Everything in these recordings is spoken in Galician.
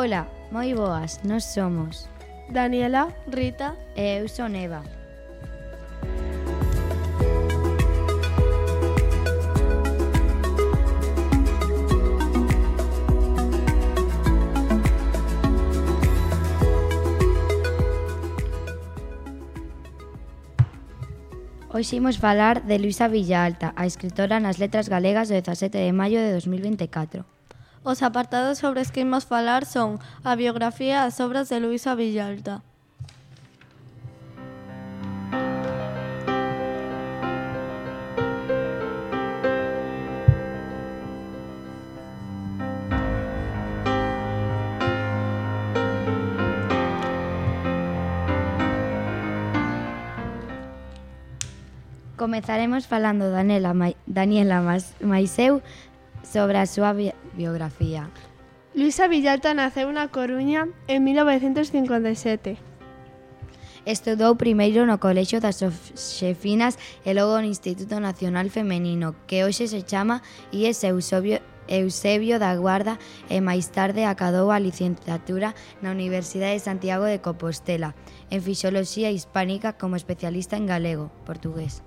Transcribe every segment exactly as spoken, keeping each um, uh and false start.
Ola, moi boas, nós somos Daniela, Rita e eu son Eva. Hoxe imos falar de Luisa Villalta, a escritora nas letras galegas do dezasete de maio de dos mil vinte e catro. Os apartados sobre os que imos falar son a biografía e as obras de Luisa Villalta. Comezaremos falando Daniela, mai, Daniela Maiseu sobre a súa bi biografía. Luisa Villalta naceu na Coruña en mil novecentos cincuenta e sete. Estudou primeiro no Colexio das Xosefinas e logo no Instituto Nacional Femenino, que hoxe se chama I E S Eusebio, Eusebio da Guarda, e máis tarde acadou a licenciatura na Universidade de Santiago de Compostela, en Fisioloxía Hispánica como especialista en galego, portugués.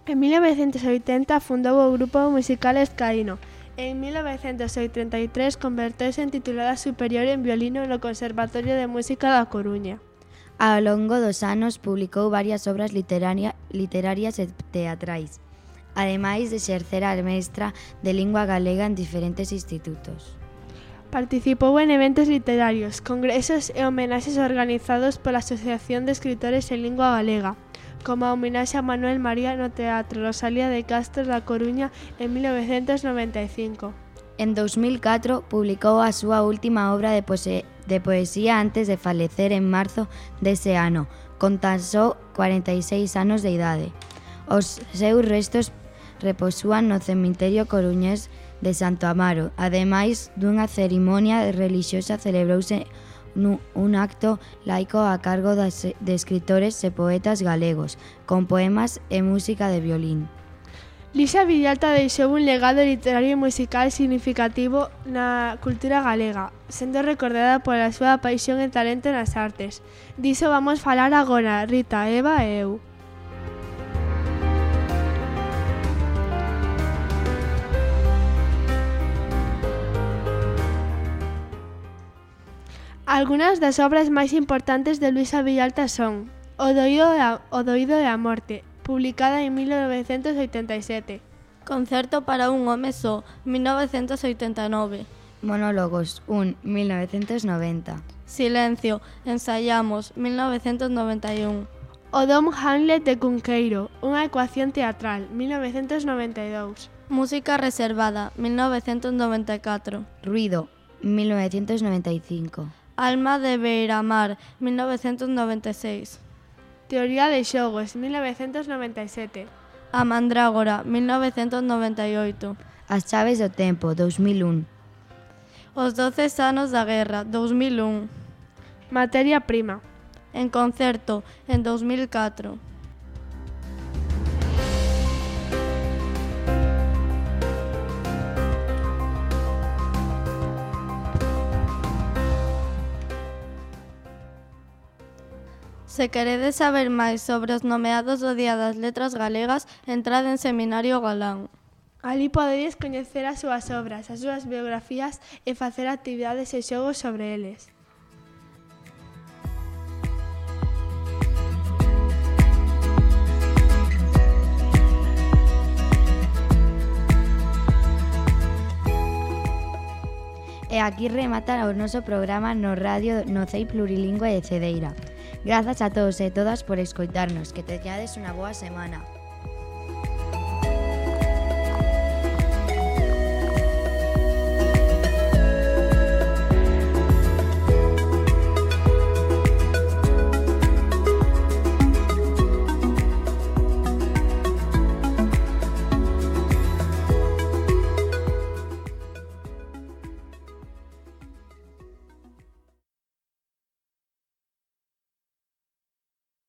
En mil novecentos oitenta fundou o grupo musical Escaíno. En mil novecentos oitenta e tres converteuse en titulada superior en violino no Conservatorio de Música da Coruña. Ao longo dos anos publicou varias obras literaria, literarias e teatrais, ademais de exercer a mestra de lingua galega en diferentes institutos. Participou en eventos literarios, congresos e homenaxes organizados pola Asociación de Escritores en Lingua Galega, como a homenaxe a Manuel María no Teatro Rosalía de Castro da Coruña en mil novecentos noventa e cinco. En dos mil catro publicou a súa última obra de, poesía, de poesía antes de falecer en marzo dese ano, con tan só cuarenta e seis anos de idade. Os seus restos reposúan no cemiterio coruñés de Santo Amaro. Ademais dunha cerimonia relixiosa celebrouse un acto laico a cargo de escritores e poetas galegos, con poemas e música de violín. Luisa Villalta deixou un legado literario e musical significativo na cultura galega, sendo recordada pola súa paixón e talento nas artes. Diso vamos falar agora, Rita, Eva e eu. Algunas das obras máis importantes de Luisa Villalta son O doído e a, o doído e a morte, publicada en mil novecentos oitenta e sete. Concerto para un home só, mil novecentos oitenta e nove. Monólogos, un, mil novecentos noventa. Silencio, ensaiamos, mil novecentos noventa e un. O Dom Hamlet de Cunqueiro, unha ecuación teatral, mil novecentos noventa e dous. Música reservada, mil novecentos noventa e catro. Ruido, mil novecientos noventa e cinco. Alma de Beiramar, mil novecentos noventa e seis. Teoría de xogos, mil novecentos noventa e sete. A Mandrágora, mil novecentos noventa e oito. As chaves do tempo, dos mil un. Os doce anos da guerra, dos mil un. Materia prima. En concerto, en dos mil catro. Se queredes saber máis sobre os nomeados do Día das Letras Galegas, entrad en Seminario Galán. Alí podedes coñecer as súas obras, as súas biografías e facer actividades e xogos sobre eles. E aquí remata o noso programa no Radio Nocei Plurilingüe de Cedeira. Grazas a todos e todas por escoitarnos, que teñades unha boa semana.